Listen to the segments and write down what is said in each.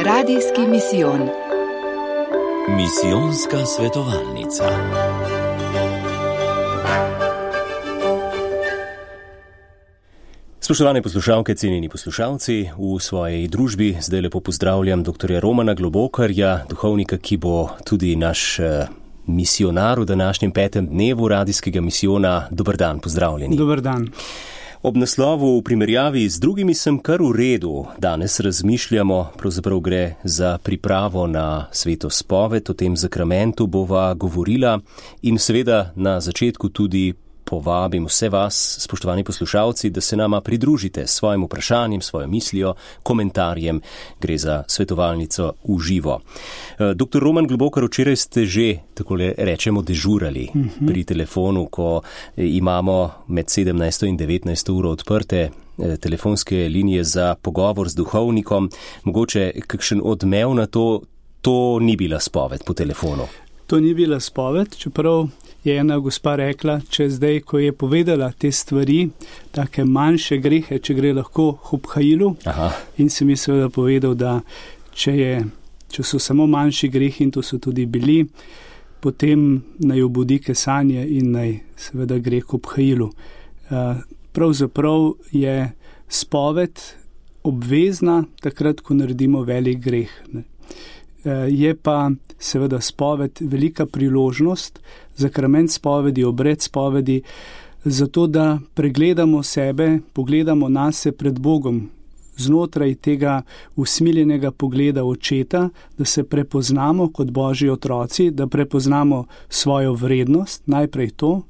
Radijski misijon. Misijonska svetovalnica. Spoštovane poslušalke, cenjeni poslušalci, v svojej družbi zdaj lepo pozdravljam dr. Romana Globokarja, duhovnika, ki bo tudi naš misionar v današnjem 5. dnevu radijskega misijona. Dober dan, pozdravljeni. Dober dan. Ob naslovu v primerjavi z drugimi sem kar v redu. Danes razmišljamo, pravzaprav gre za pripravo na sveto spoved, o tem zakramentu bova govorila in seveda na začetku tudi povabim vse vas, spoštovani poslušalci, da se nama pridružite s svojim vprašanjem, svojo mislijo, komentarjem. Gre za svetovalnico v živo. Dr. Roman Globokar, včeraj ste že, tako rečemo, dežurali pri telefonu, ko imamo med 17. in 19. uro odprte telefonske linije za pogovor z duhovnikom. Mogoče kakšen odmev na to ni bila spoved po telefonu? To ni bila spoved, čeprav je ena gospa rekla, če zdaj, ko je povedala te stvari, take manjše grehe, če gre lahko hubhailu. In sem mi seveda povedal, da če so samo manjši grehi, in to so tudi bili, potem naj obudi kesanje in naj seveda gre hubhailu. Pravzaprav je spoved obvezna takrat, ko naredimo velik greh. Je pa seveda spoved velika priložnost, zakrament spovedi, obred spovedi, zato da pregledamo sebe, pogledamo nase pred Bogom, znotraj tega usmiljenega pogleda očeta, da se prepoznamo kot Božji otroci, da prepoznamo svojo vrednost, najprej to,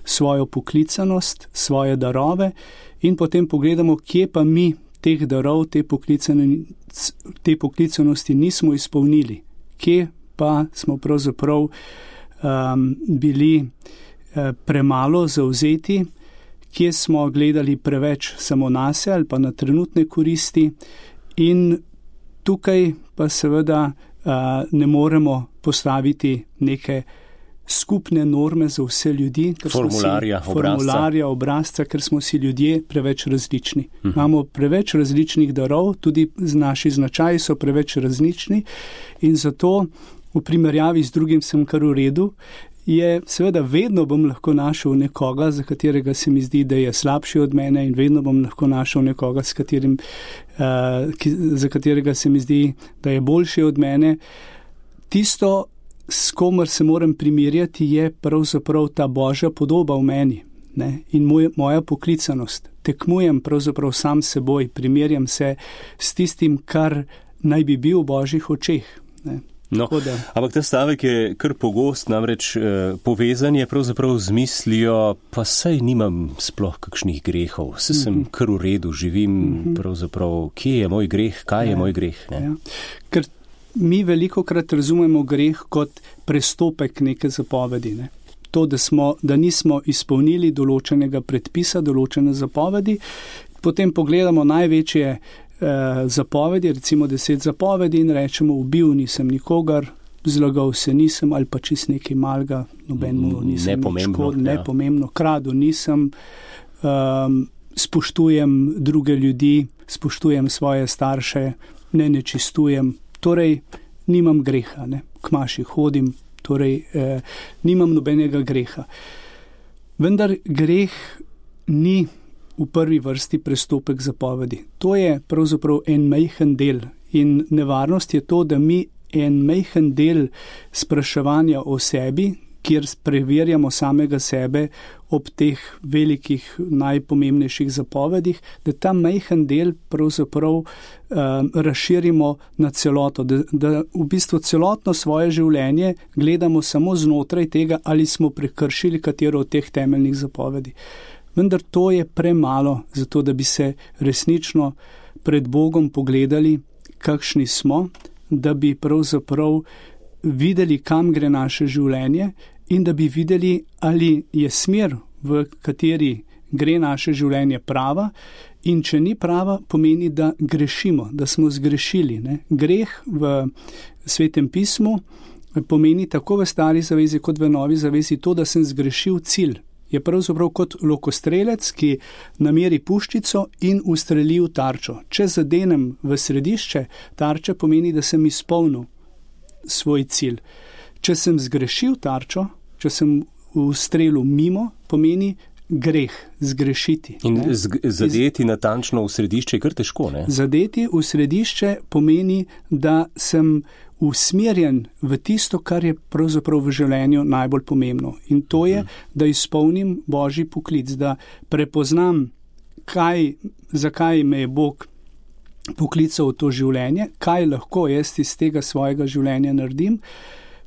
svojo poklicanost, svoje darove in potem pogledamo, kje pa mi teh darov, te poklicanosti nismo izpolnili, kje pa smo pravzaprav bili premalo zavzeti, kje smo gledali preveč samo nase ali pa na trenutne koristi, in tukaj pa seveda ne moremo postaviti neke skupne norme za vse ljudi, formularja, obrazca, ker smo si ljudje preveč različni. Imamo preveč različnih darov, tudi naši značaji so preveč različni in zato v primerjavi z drugim sem kar v redu. Je seveda vedno bom lahko našel nekoga, za katerega se mi zdi, da je slabši od mene, in vedno bom lahko našel nekoga, za katerega se mi zdi, da je boljši od mene. Tisto, s komer se moram primerjati, je pravzaprav ta Božja podoba v meni, ne? In moja poklicanost. Tekmujem pravzaprav sam seboj, primerjam se s tistim, kar naj bi bil v Božjih očeh, ne? No, ampak ta stavek je kar pogost, namreč povezan je pravzaprav z mislijo, pa saj nimam sploh kakšnih grehov, saj sem kar v redu, živim pravzaprav, kje je moj greh, kaj je moj greh, ne? Ker mi velikokrat razumemo greh kot prestopek neke zapovedi, ne? To, da nismo izpolnili določenega predpisa, določene zapovedi, potem pogledamo največje zapovedi, recimo 10 zapovedi, in rečemo, ubil nisem nikogar, zlagal se nisem, ali pa čist nekaj malega, nobenemu nisem nepomembno, kradu nisem, spoštujem druge ljudi, spoštujem svoje starše, ne nečistujem, torej nimam greha, ne? K maši hodim, torej nimam nobenega greha. Vendar greh ni v prvi vrsti prestopek zapovedi. To je pravzaprav en majhen del, in nevarnost je to, da mi en majhen del spraševanja o sebi, kjer preverjamo samega sebe ob teh velikih, najpomembnejših zapovedih, da ta majhen del pravzaprav razširimo na celoto, da v bistvu celotno svoje življenje gledamo samo znotraj tega, ali smo prekršili katero od teh temeljnih zapovedi. Vendar to je premalo, zato da bi se resnično pred Bogom pogledali, kakšni smo, da bi pravzaprav videli, kam gre naše življenje, in da bi videli, ali je smer, v kateri gre naše življenje, prava, in če ni prava, pomeni, da grešimo, da smo zgrešili, ne? Greh v Svetem pismu pomeni tako v Stari zavezi kot v Novi zavezi to, da sem zgrešil cilj. je pravzaprav kot lokostrelec, ki nameri puščico in ustreli v tarčo. Če zadenem v središče tarče, pomeni, da sem izpolnil svoj cilj. Če sem zgrešil tarčo, če sem ustrelil mimo, pomeni greh, zgrešiti. In zadeti natančno v središče je kar težko, ne? Zadeti v središče pomeni, da sem usmerjen v tisto, kar je pravzaprav v življenju najbolj pomembno. In to je, da izpolnim Božji poklic, da prepoznam, zakaj me je Bog poklical v to življenje, kaj lahko jaz iz tega svojega življenja naredim,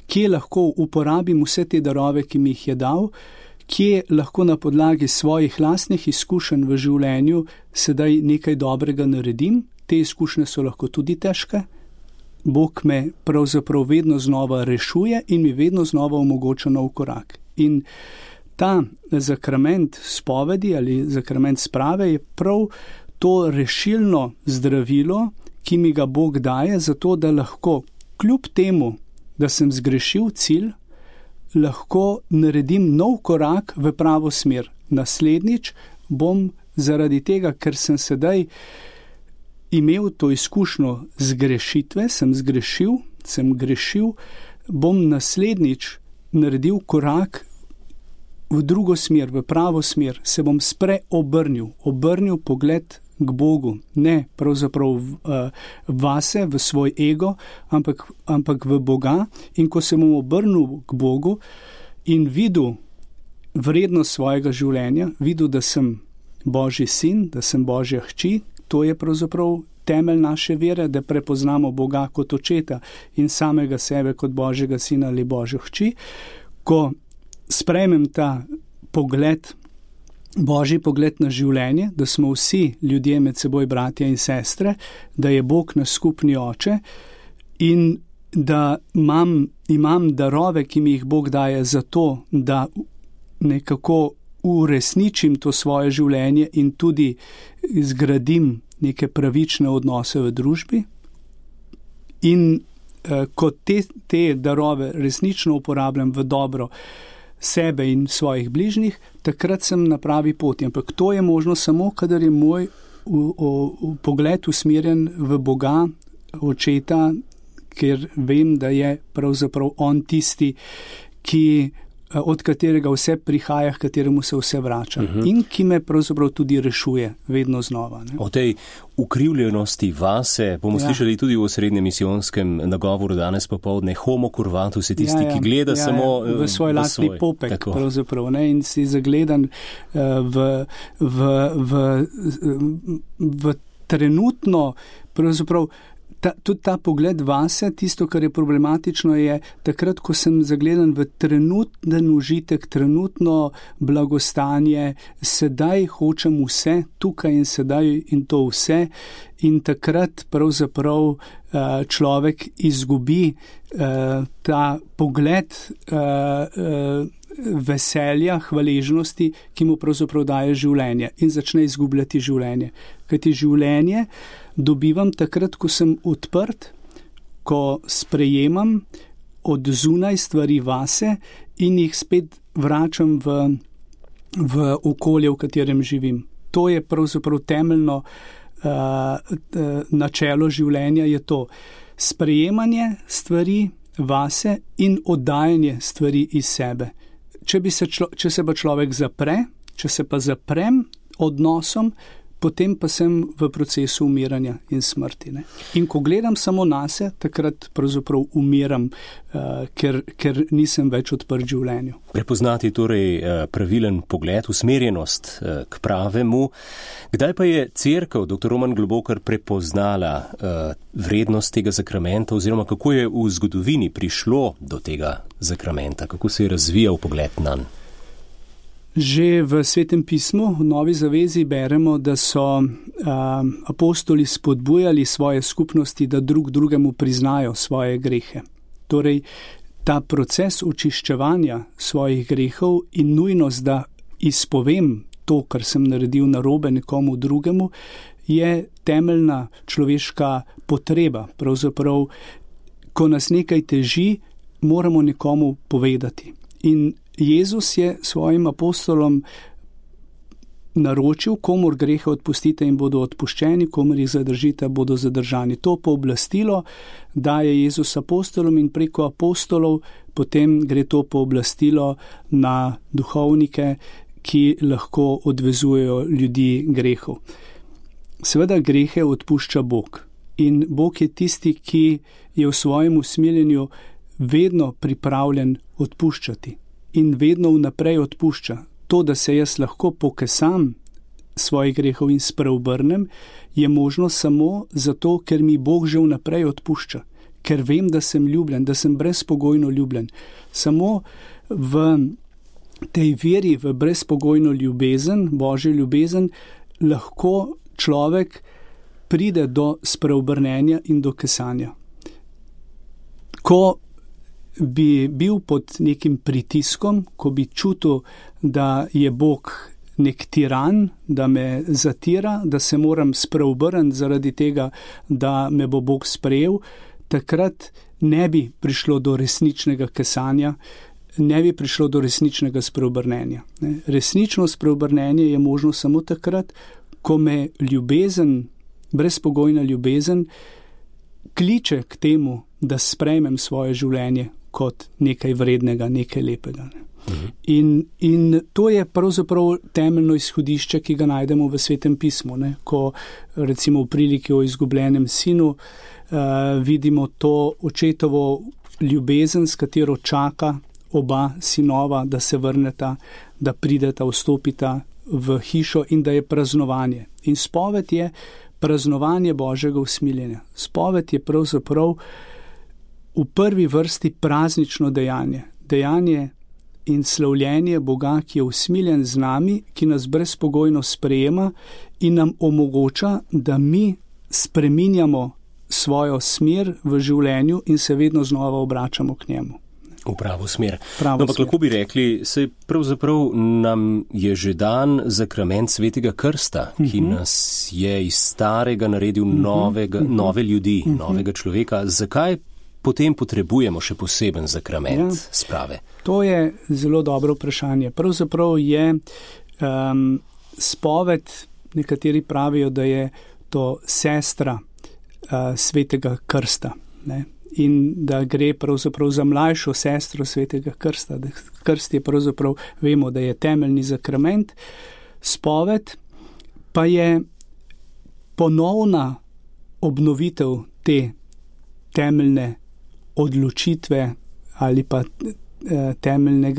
kje lahko uporabim vse te darove, ki mi jih je dal, kje lahko na podlagi svojih lastnih izkušenj v življenju sedaj nekaj dobrega naredim. Te izkušnje so lahko tudi težke. Bog me pravzaprav vedno znova rešuje in mi vedno znova omogoča nov korak. In ta zakrament spovedi ali zakrament sprave je prav to rešilno zdravilo, ki mi ga Bog daje, zato da lahko kljub temu, da sem zgrešil cilj, lahko naredim nov korak v pravo smer. Naslednjič bom zaradi tega, ker sem sedaj imel to izkušnjo zgrešitve, sem grešil, bom naslednjič naredil korak v drugo smer, v pravo smer, se bom obrnil pogled k Bogu, ne pravzaprav vase, v svoj ego, ampak v Boga. In ko se bom obrnil k Bogu in videl vrednost svojega življenja, videl, da sem Božji sin, da sem Božja hči, to je pravzaprav temelj naše vere, da prepoznamo Boga kot očeta in samega sebe kot Božjega sina ali Božjo hči. Ko sprejmem ta pogled, Božji pogled na življenje, da smo vsi ljudje med seboj bratje in sestre, da je Bog naš skupni oče in da imam darove, ki mi jih Bog daje za to, da nekako uresničim to svoje življenje in tudi zgradim neke pravične odnose v družbi. In ko te darove resnično uporabljam v dobro sebe in svojih bližnjih, takrat sem na pravi poti. Ampak to je možno samo, kadar je moj pogled usmerjen v Boga, očeta, ker vem, da je pravzaprav on tisti, od katerega vse prihaja, k kateremu se vse vrača. In ki me pravzaprav tudi rešuje vedno znova. Ne? O tej ukrivljenosti vase bomo slišali tudi v osrednjem misijonskem nagovoru danes popoldne. Homo curvatus je tisti, ki gleda samo v svoj lastni popek, pravzaprav, ne? In si zagledan v trenutno, pravzaprav, tudi ta pogled vase, tisto, kar je problematično, je takrat, ko sem zagledan v trenuten užitek, trenutno blagostanje, sedaj hočem vse, tukaj in sedaj in to vse, in takrat pravzaprav človek izgubi ta pogled veselja, hvaležnosti, ki mu pravzaprav daje življenje in začne izgubljati življenje. Kajti življenje dobivam takrat, ko sem odprt, ko sprejemam od zunaj stvari vase in jih spet vračam v okolje, v katerem živim. To je pravzaprav temeljno načelo življenja, je to sprejemanje stvari vase in oddajanje stvari iz sebe. Če se pa človek zapre, če se pa zaprem odnosom, potem pa sem v procesu umiranja in smrti. Ne? In ko gledam samo nase, takrat pravzaprav umiram, ker nisem več odprt življenju. Prepoznati torej pravilen pogled, usmerjenost k pravemu. Kdaj pa je Cerkev, dr. Roman Globokar, prepoznala vrednost tega zakramenta oziroma kako je v zgodovini prišlo do tega zakramenta, kako se je razvijal pogled nanj? Že v Svetem pismu, v Novi zavezi beremo, da so apostoli spodbujali svoje skupnosti, da drug drugemu priznajo svoje grehe. Torej, ta proces očiščevanja svojih grehov in nujnost, da izpovem to, kar sem naredil narobe nekomu drugemu, je temeljna človeška potreba. Pravzaprav, ko nas nekaj teži, moramo nekomu povedati. In Jezus je svojim apostolom naročil, komur grehe odpustite in bodo odpuščeni, komur jih zadržite, bodo zadržani. To pooblastilo daje Jezus apostolom in preko apostolov potem gre to pooblastilo na duhovnike, ki lahko odvezujejo ljudi grehov. Seveda grehe odpušča Bog in Bog je tisti, ki je v svojem usmiljenju vedno pripravljen odpuščati in vedno vnaprej odpušča. To, da se jaz lahko pokesam svojih grehov in spreobrnem, je možno samo zato, ker mi Bog že vnaprej odpušča, ker vem, da sem ljubljen, da sem brezpogojno ljubljen. Samo v tej veri, v brezpogojno ljubezen, Božjo ljubezen, lahko človek pride do spreobrnenja in do kesanja. Ko bi bil pod nekim pritiskom, ko bi čutil, da je Bog nek tiran, da me zatira, da se moram spreobrniti zaradi tega, da me bo Bog sprejel, takrat ne bi prišlo do resničnega kesanja, ne bi prišlo do resničnega spreobrnenja. Resnično spreobrnenje je možno samo takrat, ko me ljubezen, brezpogojna ljubezen, kliče k temu, da sprejmem svoje življenje kot nekaj vrednega, nekaj lepega. In to je pravzaprav temeljno izhodišče, ki ga najdemo v Svetem pismu. Ko recimo v priliki o izgubljenem sinu vidimo to očetovo ljubezen, s katero čaka oba sinova, da se vrneta, da prideta, vstopita v hišo in da je praznovanje. In spoved je praznovanje Božjega usmiljenja. Spoved je pravzaprav v prvi vrsti praznično dejanje. Dejanje in slavljenje Boga, ki je usmiljen z nami, ki nas brezpogojno sprejema in nam omogoča, da mi spreminjamo svojo smer v življenju in se vedno znova obračamo k njemu. V pravo smer. Ampak lahko bi rekli, saj pravzaprav nam je že dan zakrament Svetega krsta, ki nas je iz starega naredil nove ljudi, novega človeka. Zakaj potem potrebujemo še poseben zakrament sprave? To je zelo dobro vprašanje. Pravzaprav je spoved, nekateri pravijo, da je to sestra Svetega krsta, ne? In da gre pravzaprav za mlajšo sestro Svetega krsta. Krst je pravzaprav, vemo, da je temeljni zakrament. Spoved pa je ponovna obnovitev te temeljne odločitve ali pa temeljne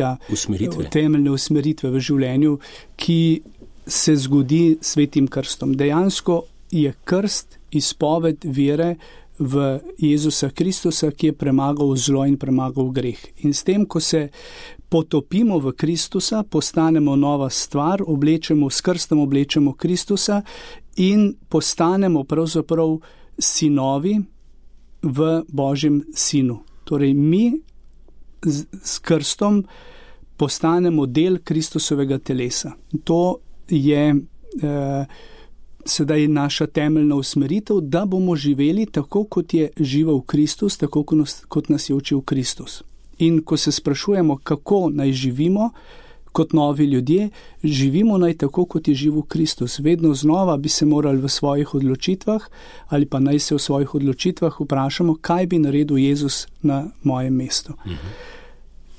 usmeritve v življenju, ki se zgodi s Svetim krstom. Dejansko je krst izpoved vere v Jezusa Kristusa, ki je premagal zlo in premagal greh. In s tem, ko se potopimo v Kristusa, postanemo nova stvar, s krstom oblečemo Kristusa in postanemo pravzaprav sinovi v Božjem sinu. Torej mi s krstom postanemo del Kristusovega telesa. To je sedaj naša temeljna usmeritev, da bomo živeli tako, kot je živel Kristus, tako kot nas je učil Kristus. In ko se sprašujemo, kako naj živimo kot novi ljudje, živimo naj tako, kot je živel Kristus. Vedno znova bi se morali v svojih odločitvah ali pa naj se v svojih odločitvah vprašamo, kaj bi naredil Jezus na mojem mestu.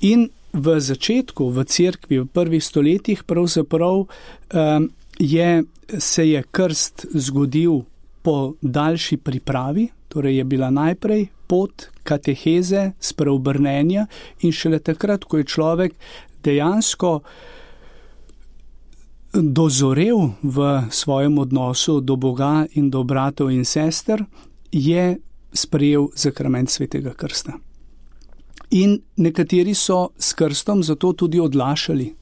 In v začetku, v cerkvi, v prvih stoletjih pravzaprav se je krst zgodil po daljši pripravi, torej je bila najprej pot kateheze, spreobrnenja in šele takrat, ko je človek dejansko dozorel v svojem odnosu do Boga in do bratov in sester, je sprejel zakrament Svetega krsta. In nekateri so s krstom zato tudi odlašali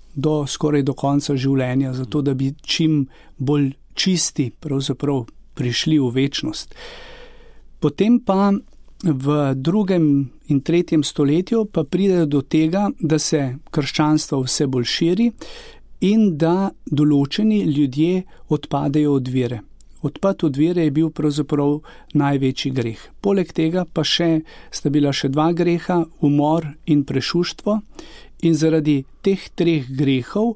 skoraj do konca življenja, zato da bi čim bolj čisti pravzaprav prišli v večnost. Potem pa v 2. in 3. stoletju pa pridejo do tega, da se krščanstvo vse bolj širi in da določeni ljudje odpadejo od vere. Odpad od vere je bil pravzaprav največji greh. Poleg tega pa sta bila še 2 greha, umor in prešuštvo. In zaradi teh 3 grehov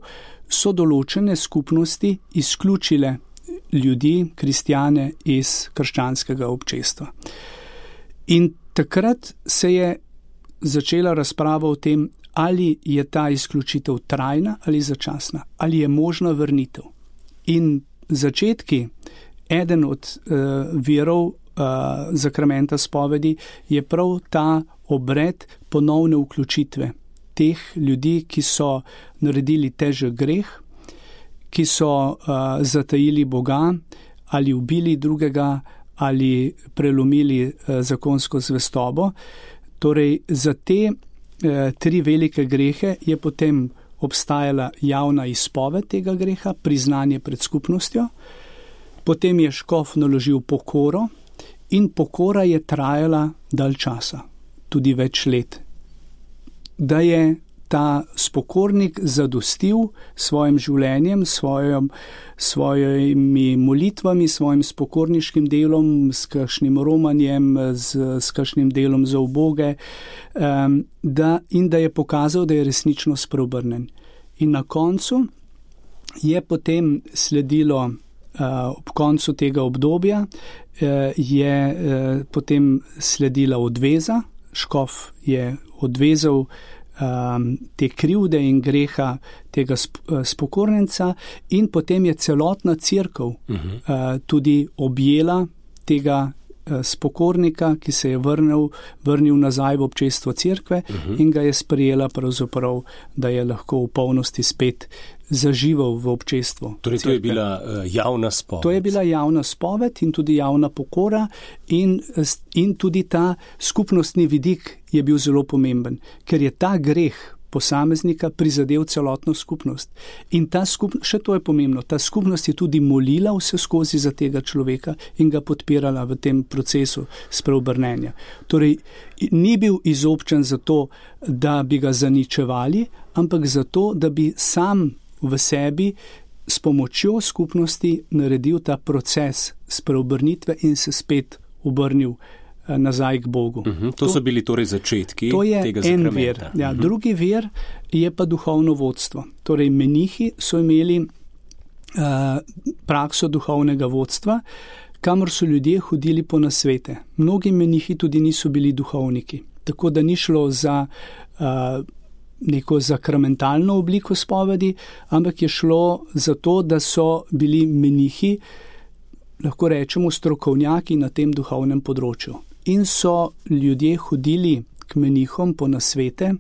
so določene skupnosti izključile ljudi, kristjane, iz krščanskega občestva. In takrat se je začela razprava o tem, ali je ta izključitev trajna ali začasna, ali je možna vrnitev. In začetki, eden od virov zakramenta spovedi je prav ta obred ponovne vključitve teh ljudi, ki so naredili težek greh, ki so zatajili Boga ali ubili drugega ali prelomili zakonsko zvestobo. Torej, za te 3 velike grehe je potem obstajala javna izpoved tega greha, priznanje pred skupnostjo, potem je škof naložil pokoro in pokora je trajala dalj časa, tudi več let. Da je ta spokornik zadostil svojim življenjem, svojimi molitvami, svojim spokorniškim delom, s kakšnim romanjem, s kakšnim delom za uboge, in da je pokazal, da je resnično spreobrnen. In na koncu je potem sledilo, ob koncu tega obdobja, je potem sledila odveza, škof je odvezal te krivde in greha tega spokornenca in potem je celotna cerkev tudi objela tega spokornika, ki se je vrnil nazaj v občestvo cerkve in ga je sprejela pravzaprav, da je lahko v polnosti spet zaživel v občestvu. Torej, to je bila javna spoved. To je bila javna spoved in tudi javna pokora in tudi ta skupnostni vidik je bil zelo pomemben, ker je ta greh posameznika prizadel celotno skupnost. In še to je pomembno, ta skupnost je tudi molila vse skozi za tega človeka in ga podpirala v tem procesu spreobrnenja. Torej, ni bil izobčen zato, da bi ga zaničevali, ampak zato, da bi sam v sebi s pomočjo skupnosti naredil ta proces spreobrnitve in se spet obrnil nazaj k Bogu. To so bili torej začetki tega zakramenta. To je en vir. Ja, drugi vir je pa duhovno vodstvo. Torej, menihi so imeli prakso duhovnega vodstva, kamor so ljudje hodili po nasvete. Mnogi menihi tudi niso bili duhovniki. Tako da ni šlo za neko zakramentalno obliko spovedi, ampak je šlo za to, da so bili menihi, lahko rečemo, strokovnjaki na tem duhovnem področju. In so ljudje hodili k menihom po nasvete,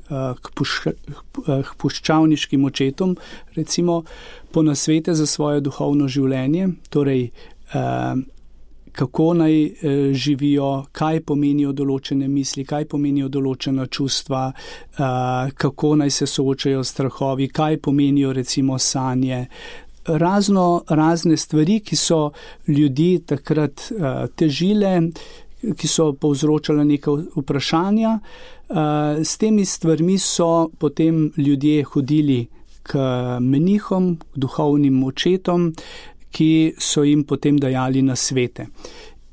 k puščavniškim očetom, recimo po nasvete za svoje duhovno življenje, torej kako naj živijo, kaj pomenijo določene misli, kaj pomenijo določena čustva, kako naj se soočajo s strahovi, kaj pomenijo recimo sanje. Razne stvari, ki so ljudi takrat težile, ki so povzročale neka vprašanja. S temi stvarmi so potem ljudje hodili k menihom, k duhovnim očetom, ki so jim potem dajali nasvete.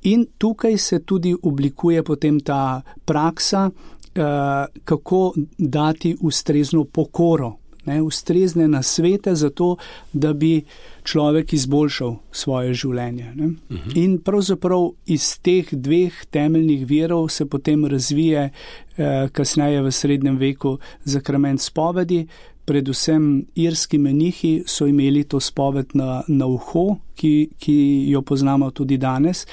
In tukaj se tudi oblikuje potem ta praksa, kako dati ustrezno pokoro, ustrezne nasvete za to, da bi človek izboljšal svoje življenje. In pravzaprav iz teh 2 temeljnih virov se potem razvije kasneje v srednjem veku zakrament spovedi. Predvsem irski menihi so imeli to spoved na uho, ki jo poznamo tudi danes.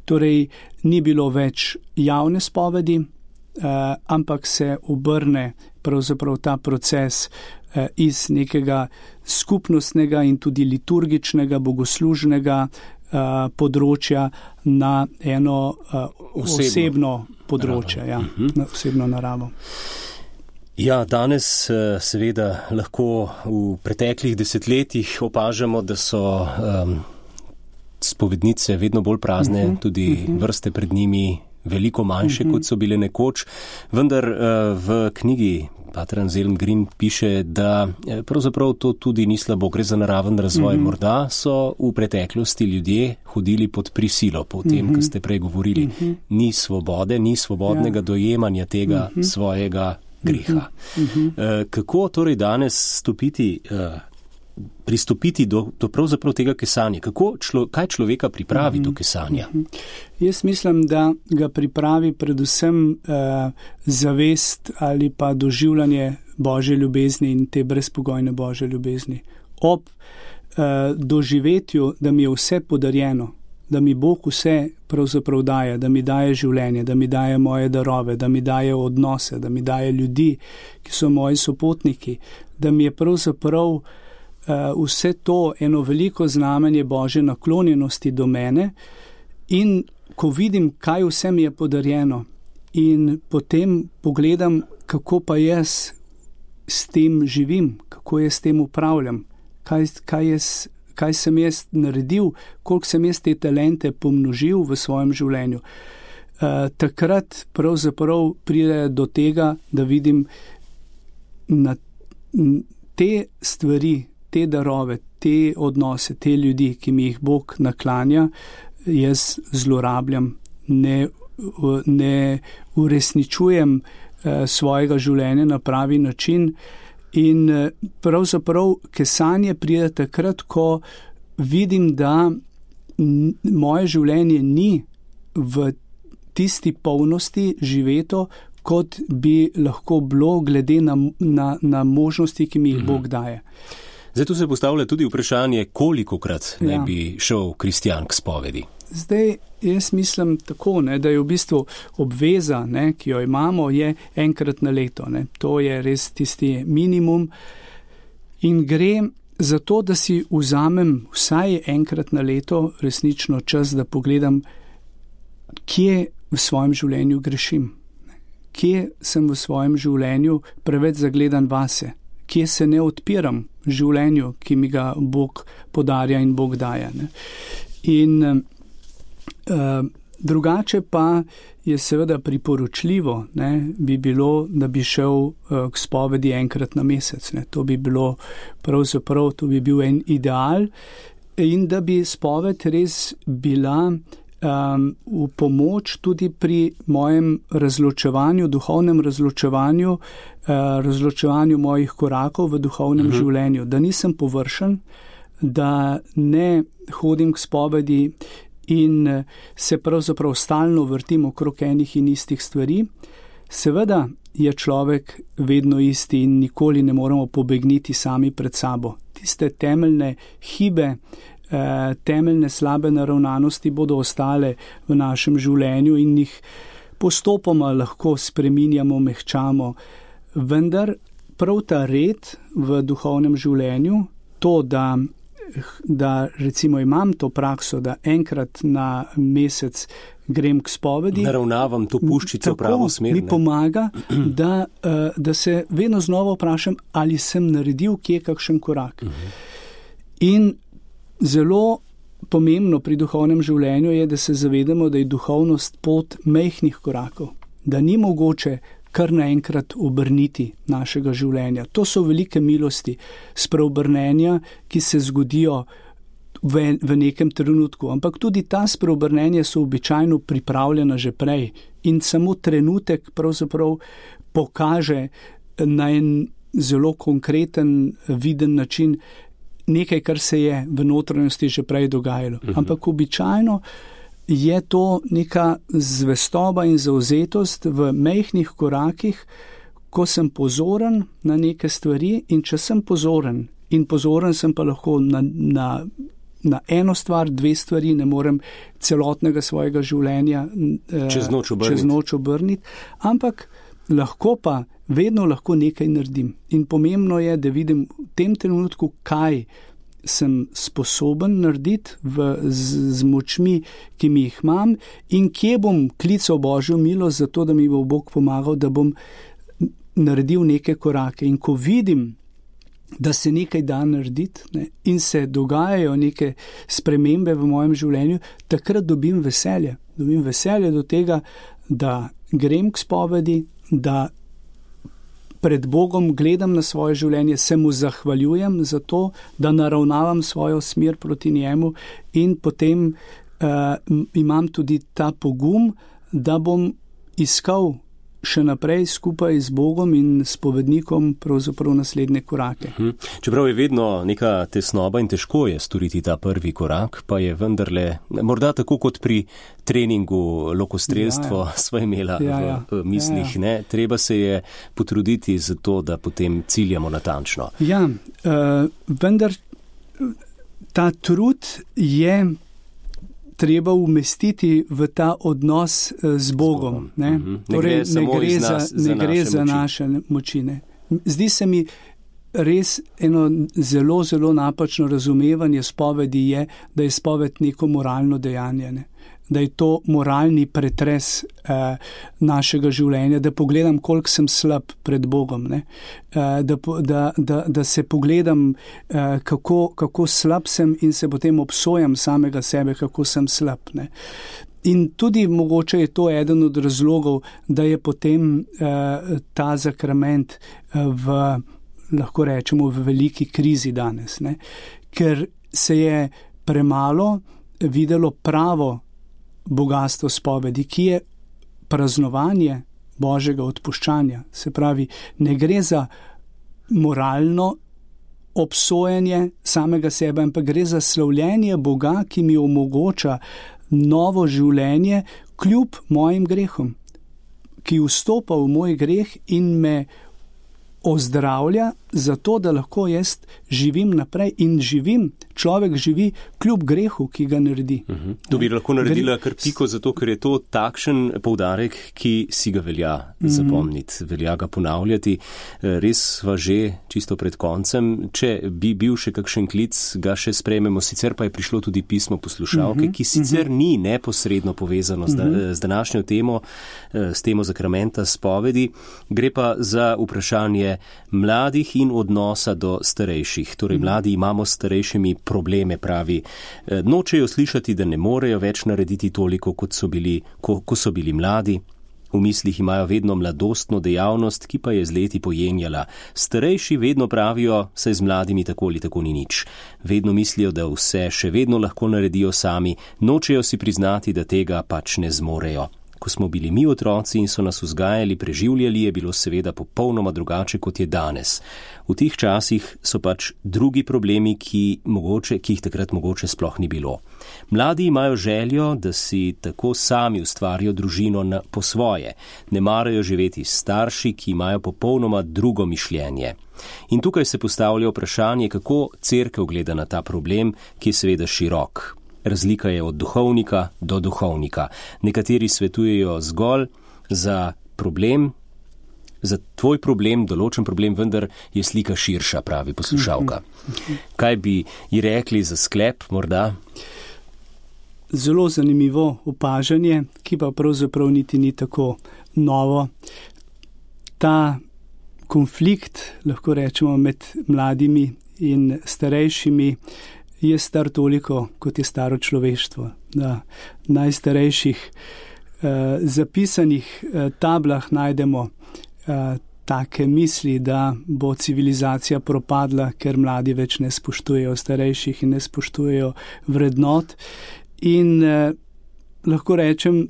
Torej, ni bilo več javne spovedi, ampak se obrne pravzaprav ta proces iz nekega skupnostnega in tudi liturgičnega, bogoslužnega področja na eno osebno področje, na osebno naravo. Ja, danes seveda lahko v preteklih desetletjih opažamo, da so spovednice vedno bolj prazne, tudi vrste pred njimi veliko manjše, kot so bile nekoč, vendar v knjigi Pater Anselm Green piše, da pravzaprav to tudi ni slabo, gre za naraven razvoj. Morda so v preteklosti ljudje hodili pod prisilo, po tem, kar ste prej govorili. Ni svobode, ni svobodnega dojemanja tega svojega greha. Kako torej danes pristopiti do pravzaprav tega kesanja? Kaj človeka pripravi do kesanja? Jaz mislim, da ga pripravi predvsem zavest ali pa doživljanje Božje ljubezni in te brezpogojne Božje ljubezni. Ob doživetju, da mi je vse podarjeno, da mi Bog vse pravzaprav daje, da mi daje življenje, da mi daje moje darove, da mi daje odnose, da mi daje ljudi, ki so moji sopotniki, da mi je pravzaprav vse to eno veliko znamenje Božje naklonjenosti do mene, in ko vidim, kaj vse mi je podarjeno, in potem pogledam, kako pa jaz s tem živim, kako jaz s tem upravljam, kaj sem jaz naredil, koliko sem jaz te talente pomnožil v svojem življenju. Takrat pravzaprav pride do tega, da vidim na te stvari, te darove, te odnose, te ljudi, ki mi jih Bog naklanja, jaz zlorabljam, ne uresničujem svojega življenja na pravi način. In pravzaprav kesanje pride takrat, ko vidim, da moje življenje ni v tisti polnosti živeto, kot bi lahko bilo glede na možnosti, ki mi jih Bog daje. Zdaj tu se postavlja tudi vprašanje, kolikokrat naj bi šel kristjan k spovedi. Zdaj, jaz mislim tako, da je v bistvu obveza, ki jo imamo, je enkrat na leto. To je res tisti minimum in gre za to, da si vzamem vsaj enkrat na leto resnično čas, da pogledam, kje v svojem življenju grešim, kje sem v svojem življenju preveč zagledan vase, kje se ne odpiram življenju, ki mi ga Bog podarja in Bog daje. In drugače pa je seveda priporočljivo, bi bilo, da bi šel k spovedi enkrat na mesec. To bi bilo pravzaprav, to bi bil en ideal, in da bi spoved res bila v pomoč tudi pri mojem razločevanju, duhovnem razločevanju, razločevanju mojih korakov v duhovnem življenju. Da nisem površen, da ne hodim k spovedi in se pravzaprav stalno vrtim okrog enih in istih stvari. Seveda je človek vedno isti in nikoli ne moramo pobegniti sami pred sabo. Tiste temeljne hibe, temeljne slabe naravnanosti bodo ostale v našem življenju in jih postopoma lahko spreminjamo, mehčamo. Vendar prav ta red v duhovnem življenju, to, da recimo imam to prakso, da enkrat na mesec grem k spovedi, naravnavam to puščico v pravo smer, mi pomaga, da se vedno znova vprašam, ali sem naredil kje kakšen korak. In zelo pomembno pri duhovnem življenju je, da se zavedamo, da je duhovnost pot majhnih korakov, da ni mogoče kar naenkrat obrniti našega življenja. To so velike milosti spreobrnenja, ki se zgodijo v nekem trenutku, ampak tudi ta spreobrnenja so običajno pripravljena že prej in samo trenutek pravzaprav pokaže na en zelo konkreten, viden način nekaj, kar se je v notranjosti že prej dogajalo. Ampak običajno je to neka zvestoba in zavzetost v majhnih korakih, ko sem pozoren na neke stvari, in če sem pozoren, in pozoren sem pa lahko na eno stvar, dve stvari, ne morem celotnega svojega življenja čez noč obrniti, ampak lahko pa, vedno lahko nekaj naredim. In pomembno je, da vidim v tem trenutku, kaj sem sposoben narediti z močmi, ki mi jih imam, in kje bom klical Božjo milost za to, da mi bo Bog pomagal, da bom naredil neke korake. In ko vidim, da se nekaj da narediti, in se dogajajo neke spremembe v mojem življenju, takrat dobim veselje. Dobim veselje do tega, da grem k spovedi, da pred Bogom gledam na svoje življenje, se mu zahvaljujem za to, da naravnavam svojo smer proti njemu, in potem imam tudi ta pogum, da bom iskal še naprej skupaj z Bogom in spovednikom pravzaprav naslednje korake. Čeprav je vedno neka tesnoba in težko je storiti ta prvi korak, pa je vendarle, morda tako kot pri treningu lokostrelstvo sva imela v mislih, ne? Treba se je potruditi za to, da potem ciljamo natančno. Ja, vendar ta trud je treba umestiti v ta odnos z Bogom. Ne? Torej, ne gre za naše moči. Ne? Zdi se mi res eno zelo, zelo napačno razumevanje spovedi je, da je spoved neko moralno dejanje. Ne? Da je to moralni pretres našega življenja, da pogledam, koliko sem slab pred Bogom, ne? Da se pogledam, kako slab sem in se potem obsojam samega sebe, kako sem slab. Ne? In tudi mogoče je to eden od razlogov, da je potem ta sakrament lahko rečemo, v veliki krizi danes, ne? Ker se je premalo videlo pravo bogastvo spovedi, ki je praznovanje Božjega odpuščanja. Se pravi, ne gre za moralno obsojanje samega sebe, ampak gre za slavljenje Boga, ki mi omogoča novo življenje kljub mojim grehom, ki vstopa v moj greh in me ozdravlja zato, da lahko jaz živim naprej in človek živi kljub grehu, ki ga naredi. To bi lahko naredila kar piko, zato ker je to takšen poudarek, ki si ga velja zapomniti, velja ga ponavljati. Res sva že čisto pred koncem, če bi bil še kakšen klic, ga še sprejmemo, sicer pa je prišlo tudi pismo poslušalke, ki sicer ni neposredno povezano z današnjo temo, s temo sakramenta spovedi, gre pa za vprašanje mladih in odnosa do starejših. Torej, mladi imamo s starejšimi probleme, pravi. Nočejo slišati, da ne morejo več narediti toliko, kot so bili, ko so bili mladi. V mislih imajo vedno mladostno dejavnost, ki pa je z leti pojenjala. Starejši vedno pravijo, saj z mladimi tako ali tako ni nič. Vedno mislijo, da vse še vedno lahko naredijo sami, nočejo si priznati, da tega pač ne zmorejo. Ko smo bili mi otroci in so nas vzgajali, preživljali, je bilo seveda popolnoma drugače, kot je danes. V teh časih so pač drugi problemi, ki jih takrat mogoče sploh ni bilo. Mladi imajo željo, da si tako sami ustvarijo družino po svoje. Ne marajo živeti s starši, ki imajo popolnoma drugo mišljenje. In tukaj se postavlja vprašanje, kako cerkev gleda na ta problem, ki je seveda širok. Razlika je od duhovnika do duhovnika. Nekateri svetujejo zgolj za problem, za tvoj problem, določen problem, vendar je slika širša, pravi poslušalka. Kaj bi ji rekli za sklep, morda? Zelo zanimivo opažanje, ki pa pravzaprav niti ni tako novo. Ta konflikt, lahko rečemo, med mladimi in starejšimi je star toliko, kot je staro človeštvo. Na najstarejših zapisanih tablah najdemo take misli, da bo civilizacija propadla, ker mladi več ne spoštujejo starejših in ne spoštujejo vrednot. In lahko rečem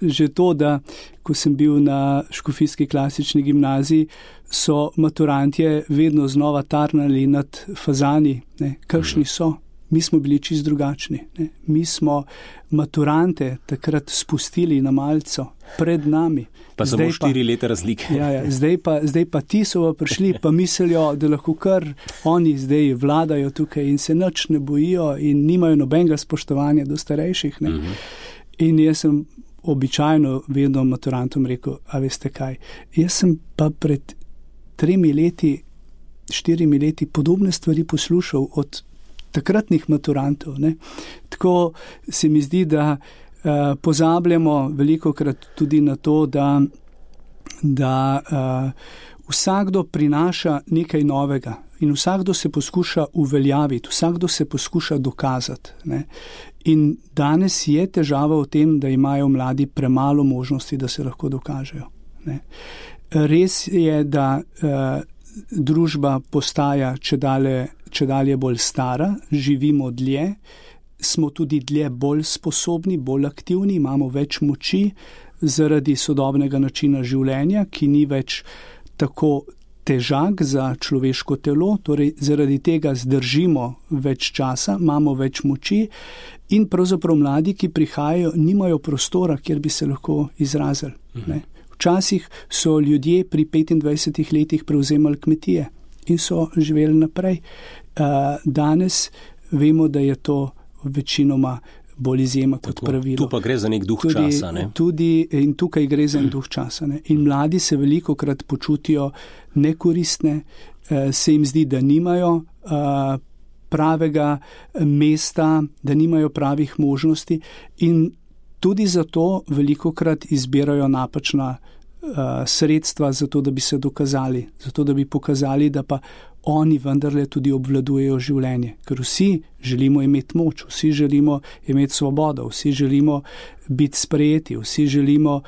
že to, da ko sem bil na škofijski klasični gimnaziji, so maturantje vedno znova tarnali nad fazani, ne, kakšni so. Mi smo bili čisto drugačni. Ne. Mi smo maturante takrat spustili na malco pred nami. Pa samo 4 leta razlike. Zdaj pa ti so prišli, pa mislijo, da lahko kar oni zdaj vladajo tukaj in se nič ne bojijo in nimajo nobenega spoštovanja do starejših. Ne. In jaz sem običajno vedno maturantom rekel, a veste kaj, jaz sem pa pred 3 leti, 4 leti podobne stvari poslušal od takratnih maturantov. Ne. Tako se mi zdi, da pozabljamo velikokrat tudi na to, da vsakdo prinaša nekaj novega in vsakdo se poskuša uveljaviti, vsakdo se poskuša dokazati. Ne. In danes je težava v tem, da imajo mladi premalo možnosti, da se lahko dokažejo. Ne. Res je, da družba postaja čedalje bolj stara, živimo dlje, smo tudi dlje bolj sposobni, bolj aktivni, imamo več moči, zaradi sodobnega načina življenja, ki ni več tako težak za človeško telo, torej zaradi tega zdržimo več časa, imamo več moči in pravzaprav mladi, ki prihajajo, nimajo prostora, kjer bi se lahko izrazili. Ne. Včasih so ljudje pri 25 letih prevzemali kmetije in so živeli naprej. Danes vemo, da je to večinoma bolj izjema kot pravilo. Tu pa gre za nek duh časa, ne? In tukaj gre za nek duh časa, ne? In mladi se velikokrat počutijo nekoristne, se jim zdi, da nimajo pravega mesta, da nimajo pravih možnosti in tudi zato velikokrat izbirajo napačna sredstva za to, da bi se dokazali, zato da bi pokazali, da pa oni vendarle tudi obvladujejo življenje. Ker vsi želimo imeti moč, vsi želimo imeti svobodo, vsi želimo biti sprejeti, vsi želimo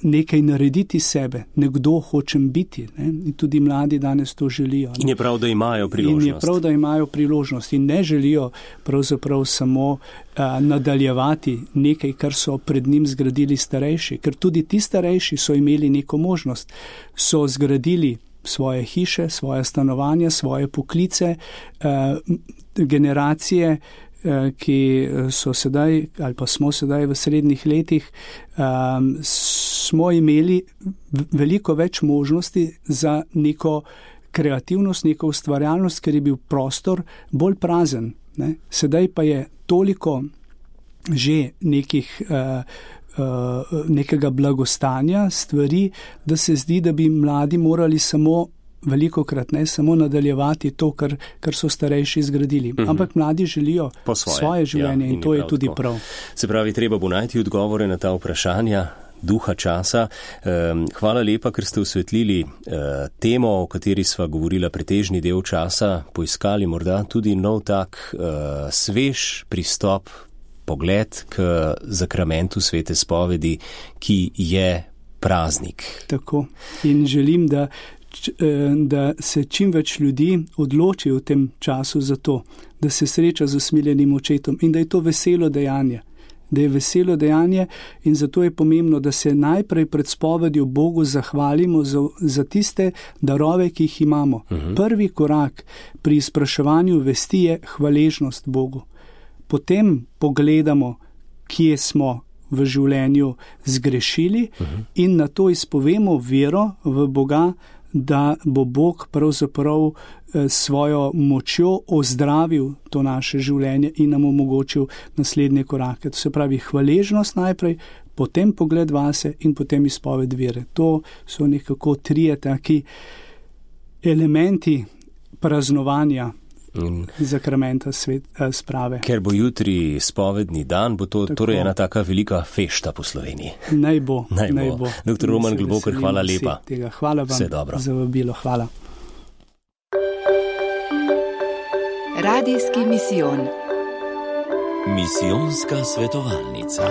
nekaj narediti sebe, nekdo hočem biti. Ne? In tudi mladi danes to želijo. Ne? In je prav, da imajo priložnost. In je prav, da imajo priložnost in ne želijo pravzaprav samo nadaljevati nekaj, kar so pred njim zgradili starejši. Ker tudi ti starejši so imeli neko možnost, so zgradili svoje hiše, svoje stanovanja, svoje poklice, generacije, ki so sedaj ali pa smo sedaj v srednjih letih, smo imeli veliko več možnosti za neko kreativnost, neko ustvarjalnost, ker je bil prostor bolj prazen. Ne? Sedaj pa je toliko že nekega blagostanja, stvari, da se zdi, da bi mladi morali velikokrat samo nadaljevati to, kar so starejši zgradili. Ampak mladi želijo svoje življenje in to je tudi prav. Se pravi, treba bo najti odgovore na ta vprašanja duha časa. Hvala lepa, ker ste osvetlili temo, o kateri sva govorila pretežni del časa, poiskali morda tudi nov tak svež pristop, pogled k zakramentu svete spovedi, ki je praznik. Tako. In želim, da se čim več ljudi odloči v tem času za to, da se sreča z usmiljenim očetom in da je to veselo dejanje. Da je veselo dejanje in zato je pomembno, da se najprej pred spovedjo Bogu zahvalimo za tiste darove, ki jih imamo. Prvi korak pri izpraševanju vesti je hvaležnost Bogu. Potem pogledamo, kje smo v življenju zgrešili in na to izpovemo vero v Boga, da bo Bog pravzaprav svojo močjo ozdravil to naše življenje in nam omogočil naslednje korake. To se pravi hvaležnost najprej, potem pogled vase in potem izpoved vere. To so nekako trije taki elementi praznovanja zakramenta sprave. Ker bo jutri spovedni dan, bo to torej ena taka velika fešta po Sloveniji. Naj bo. Dr. Roman Globokar, hvala lepa. Hvala vam za vabilo. Hvala. Radijski misijon. Misijonska svetovalnica.